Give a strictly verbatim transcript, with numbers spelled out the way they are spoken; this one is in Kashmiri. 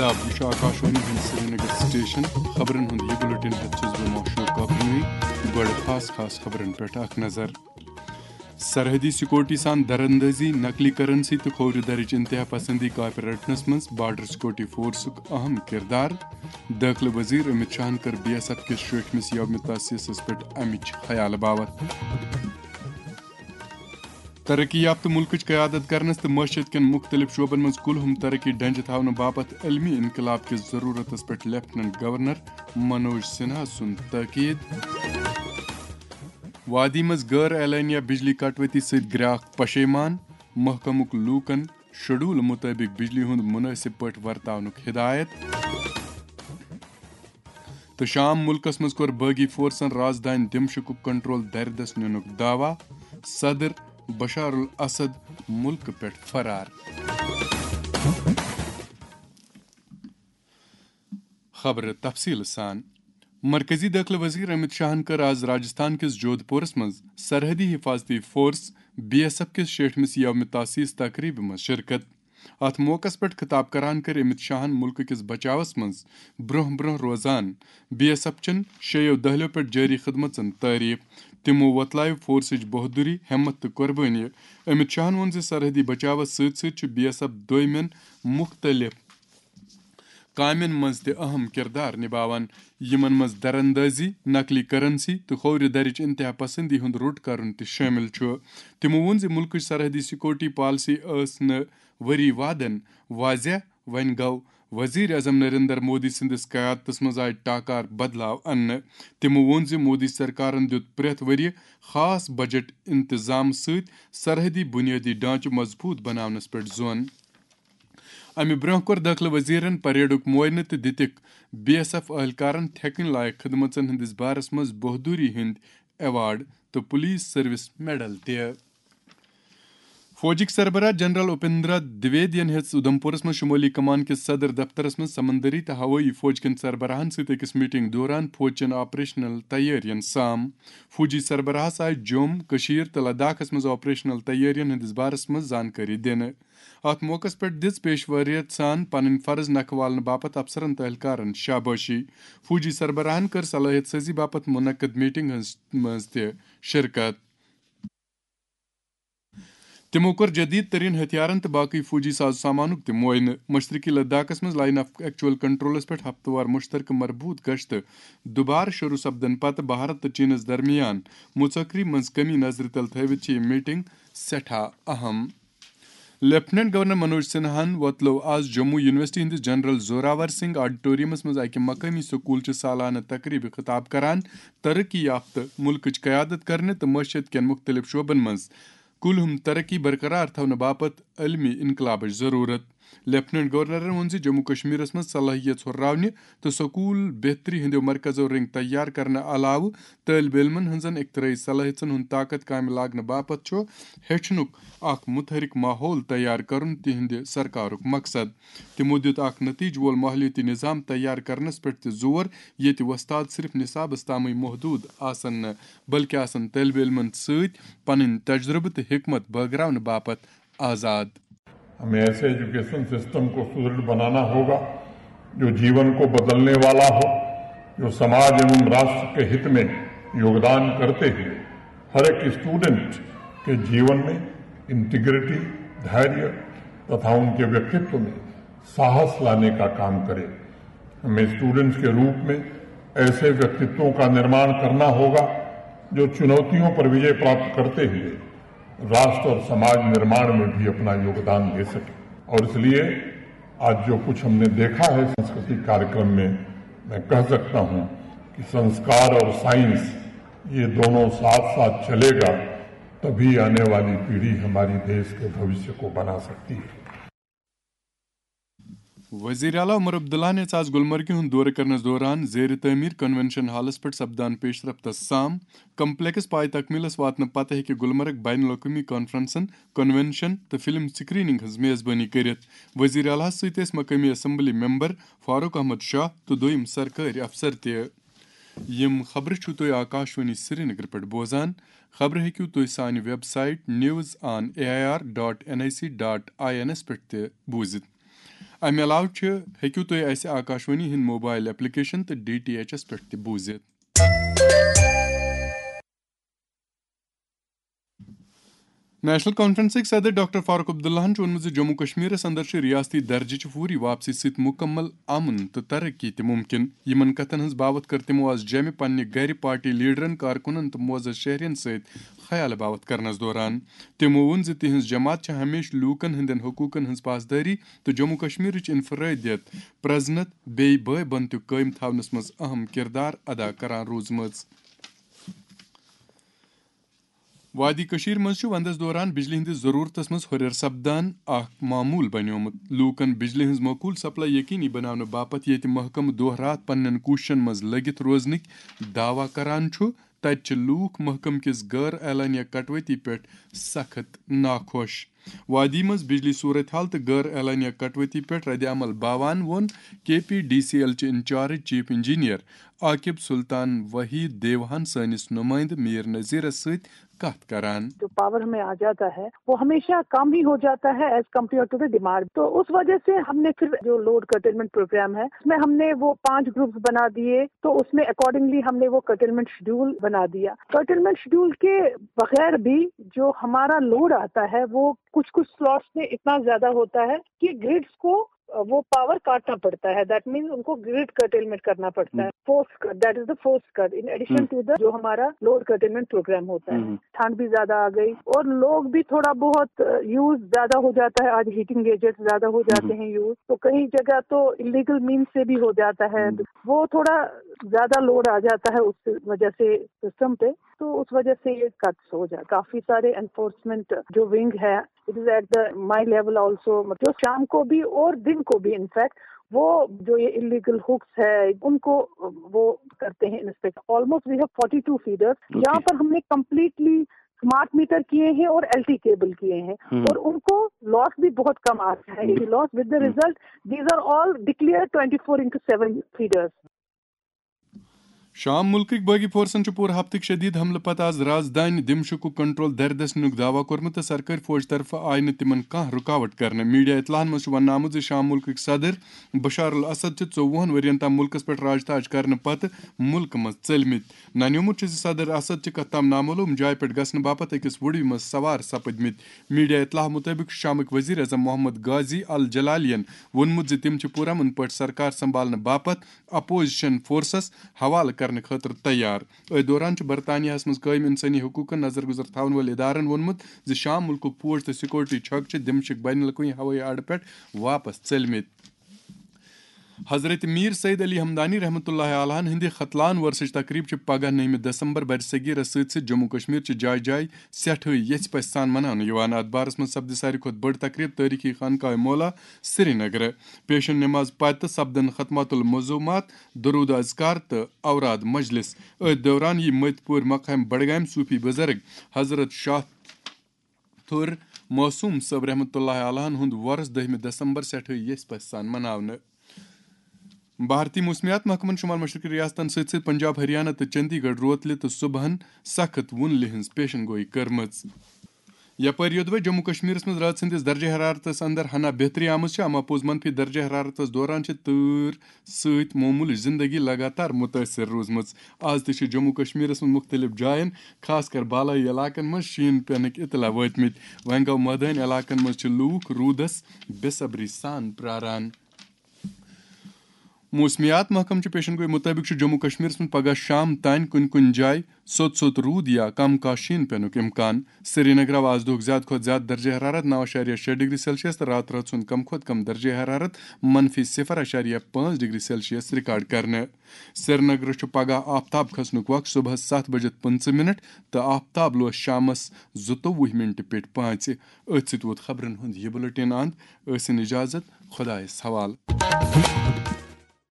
آداب، یہِ چھُ آکاشوانی ہُنٛد سرینگر سٹیشن۔ خبرن ہُنٛد یہِ بُلٹن ہٮ۪تھ چھُس بہٕ معشوق کاپنوی۔ گۄڈٕ خاص خاص خبرن پٮ۪ٹھ اکھ نظر۔ سرحدی سیکورٹی سان دراندازی، نقلی کرنسی تہٕ کھوورِ درٕچ انتہا پسندی کاپہِ رٹنس منٛز بارڈر سیکورٹی فورسُک اہم کردار۔ دٲخلہٕ وزیر امت شاہن کٔر بی ایس ایف کِس شٲٹھمِس یومِ تاسیسس پٮ۪ٹھ امِچ خیالہٕ باوتھ۔ ترقی یافتہٕ مُلکٕچ قیادت کرنس تہٕ معیشت کٮ۪ن مُختٔلِف شعبن منٛز کُلہُم ترقی ڈنجہِ تھاونہٕ باپتھ عالمی انقلاب کِس ضروٗرتس پٮ۪ٹھ لیفٹیننٹ گورنر منوج سنہا سُنٛد تاکید۔ وادی منٛز غٲر اعلانیہ بجلی کٹوتی سۭتۍ گراکھ پشیمان، محکمُک لوٗکن شیڈول مُطٲبِق بجلی ہُنٛد مُنٲسِب پٲٹھۍ ورتاونُک ہدایت۔ تہٕ شام مُلکس منٛز کوٚر باغی فورسن رازدانۍ دمشقُک کنٹرول دردس نِنُک دعویٰ، صدر بشار الاسد مُلکہٕ پٮ۪ٹھ فرار۔ خبرٕ تفصیٖل سان۔ مرکزی دٲخلہٕ وزیر امت شاہن کٔر آز راجستھان کِس جودھ پورس منٛز سرحدی حفاظتی فورس بی ایس ایف کِس شیٹھمِس یومِ تاسیس تقریبہِ منٛز شرکت۔ اتھ موقعس پٮ۪ٹھ خطاب کران کٔر امت شاہن مُلکہٕ کِس بچاوس منٛز برونٛہہ برونٛہہ روزان بی ایس ایف چٮ۪ن شیٚیو دٔہلیو پٮ۪ٹھ جٲری خدمژن تعریف۔ تِمو وۄتلایہِ فورسٕچ بہادری، ہمت تہٕ قربٲنی۔ امت شاہن ووٚن زِ سرحدی بچاوس سۭتۍ سۭتۍ چھُ بی ایس ایف دویمٮ۪ن مُختٔلِف کامٮ۪ن منٛز تہِ اہم کردار نباوان، یِمن منٛز دراندازی، نقلی کرنسی تہٕ کھوورِ درٕچ انتہا پسندی ہُنٛد روٚٹ کرُن تہِ شٲمِل چھُ۔ تِمو ووٚن زِ مُلکٕچ سرحدی سیکورٹی پالیسی ٲس نہٕ ؤری وادن واضح، وۄنۍ گوٚو۔ وزیر اعظم نریندر مودی سٕنٛدِس قیادتس منٛز آیہِ ٹاکار بدلاو اننہٕ۔ تِمو ووٚن زِ مودی سرکارن دیُت پرٛٮ۪تھ ؤرۍ یہِ خاص بجٹ انتظام سۭتۍ سرحدی بنیٲدی ڈھانچہٕ مضبوٗط بناونس پٮ۪ٹھ زون۔ امہِ برونٛہہ کوٚر دٲخلہٕ وزیرن پریڈُک معائنہٕ تہٕ دِتِکھ بی ایس ایف اہلکارن تھیکٕنۍ لایق خدمژن ہٕنٛدِس بارس منٛز بہادری ہٕنٛدۍ ایوارڈ تہٕ پولیس سروس میڈل تہِ۔ فوجٕکۍ سربراہ جنرل اپیندرا دویدین ہیٚژ اُدھمپورس منٛز شمٲلی کمان کِس صدر دفترس منٛز سمندری تہٕ ہوٲیی فوج کٮ۪ن سربراہن سۭتۍ أکِس میٹنگ دوران فوج چٮ۪ن آپریشنل تیٲرین سام۔ فوجی سربراہس آیہِ جوم، کٔشیٖر تہٕ لداخس منٛز آپریشنل تیٲرین ہٕنٛدِس بارس منٛز زانکٲری دِنہٕ۔ اتھ موقعس پٮ۪ٹھ دِژ پیشوٲریت سان پنٕنۍ فرض نکھٕ والنہٕ باپتھ افسرن تہٕ اہلکارن شابٲشی۔ فوجی سربراہن کٔر صلٲحیت سٲزی باپتھ منعقد میٹنگ ہٕنٛز منٛز تہِ شرکت۔ تِمو کوٚر جدید ترین ہتھیارن تہٕ باقی فوجی ساز سامانُک تہِ معائنہٕ۔ مشرقی لداخس منٛز لائن آف ایکچوئل کنٹرولس پٮ۪ٹھ ہفتہٕ وار مشترکہٕ مربوط گشتہٕ دُبارٕ شروع سپدن پتہٕ بھارت تہٕ چینس درمیان مُژکری منٛز کمی نظرِ تل تھٲوِتھ چھِ یہِ میٹنگ سٮ۪ٹھاہ اہم۔ لیفٹیننٹ گورنر منوج سنہاہن وۄتلٲو آز جموں یونیورسٹی ہٕنٛدِس جنرل زوراور سنگھ آڈیٹورمس منٛز اکہِ مقٲمی سکوٗلچہِ سالانہٕ تقریبہِ خطاب کران ترقی یافتہٕ مُلکٕچ قیادت کرنہٕ تہٕ معیشت کٮ۪ن مُختٔلِف شعبن منٛز کُلہُم ترقی برقرار تھاونہٕ باپتھ عالمی انقلابٕچ ضروٗرت۔ لیفٹیننٹ گورنرن ووٚن زِ جموں کشمیرس منٛز صلٲحیت ہُرراونہِ تہٕ سکوٗل بہتری ہٕنٛدیو مرکزو رٔنگۍ تیار کرنہٕ علاوٕ طٲلبہِ علمن ہٕنٛزن اختراعی صلٲحیژن ہُنٛد طاقت کامہِ لاگنہٕ باپتھ چھُ ہیٚچھنُک اکھ متحرک ماحول تیار کرُن تِہنٛدِ سرکارُک مقصد۔ تِمو دِیُت اکھ نتیجہٕ وول ماحولیٲتی نظام تیار کرنس پٮ۪ٹھ تہِ زور، ییٚتہِ وۄستاد صرف نصابس تامٕے محدوٗد آسن نہٕ، بلکہِ آسن طٲلبہِ علمن سۭتۍ پنٕنۍ تجربہٕ تہٕ حکمت بٲگراونہٕ باپتھ آزاد۔ ہمیں ایسے ایجوکیشن سسٹم کو سدرڑھ بنانا ہوگا جو جیون کو بدلنے والا ہو، جو سماج ایوم راشٹر کے ہت میں یوگدان کرتے ہوئے ہر ایک اسٹوڈنٹ کے जीवन में इंटीग्रिटी, धैर्य तथा उनके व्यक्तित्व में साहस लाने का काम करे। हमें स्टूडेंट्स के रूप में ऐसे व्यक्तित्वों का निर्माण करना होगा जो चुनौतियों पर विजय प्राप्त करते हुए राष्ट्र और समाज निर्माण में भी अपना योगदान दे सके। और इसलिए आज जो कुछ हमने देखा है सांस्कृतिक कार्यक्रम में, मैं कह सकता हूं कि संस्कार और साइंस ये दोनों साथ साथ चलेगा, तभी आने वाली पीढ़ी हमारी देश के भविष्य को बना सकती है। وزیر اعلیٰ عمر عبداللہ نِژ آز گلمرگہِ ہُنٛد دورٕ کرنس دوران زیر تعمیر کنونشن ہالس پٮ۪ٹھ سپدان پیش رفتس سام۔ کمپلیکس پایہِ تکمیلس واتنہٕ پتہٕ ہیٚکہِ گلمرگ بین الاقوٲمی کانفرنسن، کنونشن تہٕ فلم سکریننگ ہٕنٛز میزبٲنی کٔرِتھ۔ وزیر اعلیٰ ہَس سۭتۍ ٲسۍ مقٲمی اسمبلی ممبر فاروق احمد شاہ تہٕ دوٚیِم سرکٲرۍ افسر تہِ۔ یِم خبرٕ چھِو تُہۍ آکاشوانی سرینگر پٮ۪ٹھ بوزان۔ خبرٕ ہیٚکِو تُہۍ سانہِ website news on A I R dot N I C dot I N پٮ۪ٹھ تہِ بوٗزِتھ۔ امہِ علاوٕ چھِ، ہیٚکِو تُہۍ اسہِ آکاشوانی ہٕنٛدۍ موبایل ایپلیکیشن تہٕ ڈی ٹی ایچ ایس پٮ۪ٹھ تہِ بوٗزِتھ۔ نیشنل کانفرنسٕکۍ صدر ڈاکٹر فاروق عبداللہن چھُ ووٚنمُت زِ جموں کشمیرس اندر چھِ ریاستی درجٕچ فوری واپسی سۭتۍ مکمل امن تہٕ ترقی تہِ ممکن۔ یِمن کتھن ہٕنٛز باوتھ کٔر تِمو آز جیٚمہِ پننہِ گرِ پارٹی لیڈرن، کارکنن تہٕ معزز شہرین سۭتۍ خیال باوتھ کرنس دوران۔ تِمو ووٚن زِ تِہنٛز جماعت چھِ ہمیشہٕ لوٗکن ہٕنٛدٮ۪ن حقوٗقن ہٕنٛز پاسدٲری تہٕ جموں کشمیرٕچ انفرٲدیت پرزنت بیٚیہِ بٲے بنتُک قٲیِم تھاونس منٛز اہم کردار ادا کران روٗزمٕژ۔ وادی کٔشیٖر منٛز چھُ وندس دوران بجلی ہٕنٛدِس ضروٗرتس منٛز ہُرٮ۪ر سپدان اکھ معموٗل بنیومُت۔ لوٗکن بجلی ہٕنٛز معقوٗل سپلائی یقینی بناونہٕ باپتھ ییٚتہِ محکمہٕ دۄہ راتھ پننٮ۪ن کوٗششن منٛز لٔگِتھ روزنٕکۍ دعویٰ کران چھُ، تتہِ چھِ لوٗکھ محکمہٕ کِس غٲر اعلانیہ کٹوتی پٮ۪ٹھ سخت ناخۄش۔ وادی منٛز بجلی صورتحال تہٕ غٲر اعلانیہ کٹوتی پٮ۪ٹھ رد عمل باوان ووٚن کے پی ڈی سی ایل چہِ انچارج چیف انجینئر عاقب سلطان وحید دیوہن سٲنِس نمائندٕ میر نذیرس سۭتۍ کتھ کران۔ جو پاور ہمیں آ جاتا ہے، وہ ہمیشہ کم ہی ہو جاتا ہے as compare to the demand. تو اس وجہ سے ہم نے پھر جو لوڈ کرٹیلمنٹ پروگرام ہے، اس میں ہم نے وہ پانچ گروپس بنا دیے، تو اس میں اکارڈنگلی ہم نے وہ کرٹیلمنٹ شیڈول بنا دیا۔ کرٹیلمنٹ شیڈول کے بغیر بھی جو ہمارا لوڈ آتا ہے، وہ کچھ کچھ سلاٹس میں اتنا زیادہ ہوتا ہے کہ گرڈس کو وہ پاور کاٹنا پڑتا ہے۔ دیٹ مینس ان کو گرڈ کرٹیلمنٹ کرنا پڑتا ہے۔ Force cut, that is the force cut, in addition to the جو ہمارا لوڈ کرٹیلمنٹ پروگرام ہوتا ہے۔ ٹھنڈ بھی زیادہ آ گئی اور لوگ بھی تھوڑا بہت یوز زیادہ ہو جاتا ہے۔ آج ہیٹنگ ایجنٹ زیادہ ہو جاتے ہیں یوز، تو کئی جگہ تو انلیگل مینس سے بھی ہو جاتا ہے۔ وہ تھوڑا زیادہ لوڈ آ جاتا ہے اس وجہ سے سسٹم پہ، تو اس وجہ سے یہ کٹس ہو جائے۔ کافی سارے انفورسمنٹ جو ونگ ہے، it is at the my level also، جو شام کو بھی اور دن کو بھی، انفیکٹ وہ جو یہ انلیگل ہکس ہے، ان کو وہ کرتے ہیں inspect. Almost we have forty two feeders, یہاں پر ہم نے کمپلیٹلی اسمارٹ میٹر کیے ہیں اور ایل ٹی کیبل کیے ہیں، اور ان کو لاس بھی بہت کم آتا ہے۔ Loss, with the result these are all declared twenty four into seven feeders. شام مُلکٕکۍ باغی فورسن چھُ پوٗرٕ ہفتٕکۍ شدید حملہٕ پتہٕ آز رازدانہِ دمشقُک کنٹرول دٔرۍ دٔسۍ نِنُک دعویٰ کوٚرمُت تہٕ سرکٲرۍ فوج طرفہٕ آیہِ نہٕ تِمن کانٛہہ رُکاوٹ کرنہٕ۔ میڈیا اطلاعن منٛز چھُ وننہٕ آمُت زِ شام مُلکٕکۍ صدر بشار الاسد چھِ ژوٚوُہن ؤرین تام مُلکس پٮ۪ٹھ راج تاج کرنہٕ پتہٕ مُلکہٕ منٛز ژٔلمٕتۍ۔ ننیومُت چھُ زِ صدر اسد چھِ کتھ تام نامعلوم جایہِ پٮ۪ٹھ گژھنہٕ باپتھ أکِس وُڈوِ منٛز سوار سپٕدمٕتۍ۔ میڈیا اطلاع مُطٲبِق چھُ شامٕکۍ وزیر اعظم محمد غازی الجلالین ووٚنمُت زِ تِم چھِ پُرامن پٲٹھۍ سرکار سنبھالنہٕ باپتھ اپوزیشن فورسس حوالہٕ کرنہٕ خٲطرٕ تیار۔ أتھۍ دوران چھُ برطانیہس منٛز قٲیِم انسٲنی حقوٗقن نظر گُزر تھاوَن وٲلۍ ادارن ووٚنمُت زِ شام مُلکُک فوج تہٕ سیکورٹی چھکہٕ چھِ دمشق بین الاقوٲمی ہوٲیی اڈٕ پٮ۪ٹھ واپس ژٔلمٕتۍ۔ حضرت میر سید علی ہمدانی رحمتہ اللہ علیہ ہٕنٛدِ ختلان ورثٕچ تقریب چھِ پگاہ نٔومہِ دسمبر برِ صغیرس سۭتۍ سۭتۍ جموں کشمیر چہِ جایہِ جایہِ سٮ۪ٹھٕے یژھِ پژھِ سان مناونہٕ یِوان۔ اتھ بارس منٛز سپدِ ساروی کھۄتہٕ بٔڑ تقریب تٲریخی خانقاہ مولا سرینگر۔ پیشن نماز پتہٕ سپدن ختمات المعظومات، درود اذکار تہٕ اوراد مجلس۔ أتھۍ دوران یی مٔتۍ پورِ مقام بڈگامہِ صوفی بزرگ حضرت شاہ تھُر معصوم صٲب رحمتہ اللہ علیہ ہُنٛد وۄرُس دٔہمہِ دسمبر سٮ۪ٹھٕے یژھِ پژھِ سان مناونہٕ۔ بھارتی موسمیات محکمن شمال مشرقی ریاستن سۭتۍ سۭتۍ پنجاب، ہریانہ تہٕ چندی گڑھ روتلہِ تہٕ صبحن سخت وُنلہِ ہٕنٛز پیشن گویی کٔرمٕژ۔ یپٲرۍ یوٚدوے جموں کشمیرس منٛز رٲژ ہٕنٛدِس درجہ حرارتس اندر ہنا بہتری آمٕژ چھِ، اما پوٚز منفی درجہ حرارتس دوران چھِ تۭر سۭتۍ معموٗلٕچ زندگی لگاتار مُتٲثر روٗزمٕژ۔ آز تہِ چھِ جموں کشمیرس منٛز مُختٔلِف جاین، خاص کر بالٲیی علاقن منٛز شیٖن پینٕکۍ اطلاع وٲتمٕتۍ۔ وۄنۍ گوٚو مٲدٲنۍ علاقن منٛز چھِ لوٗکھ روٗدس بے صبری سان پراران۔ موسمیات محکمہٕ چہِ پیشن گویی مُطٲبِق چھُ جموں کشمیرس منٛز پگہہ شام تام کُنہِ کُنہِ جایہِ سوٚت سوٚت روٗد یا کم کانٛہہ شیٖن پینُک امکان۔ سرینگر آو آز دۄہُک زیادٕ کھۄتہٕ زیادٕ درجہ حرارت نو اعشاریہ شےٚ ڈگری سیلسیس تہٕ راتہٕ رٲژ ہُنٛد کم کھۄتہٕ کم درجہ حرارت منفی صفر اعشاریہ پانٛژھ ڈگری سیلسیس ریکارڈ کرنہٕ۔ سرینگرس چھُ پگہہ آفتاب کھسنُک وق صبحس ستھ بجِتھ پٕنٛژٕہ منٹ تہٕ آفتاب لوس شامس زٕتووُہ منٹہِ پیٚٹھۍ پانٛژِ۔ أتھۍ سۭتۍ ووت خبرن ہُنٛد یہِ بُلٹن اند۔ ٲسِن اجازت، خۄدایس حوالہٕ۔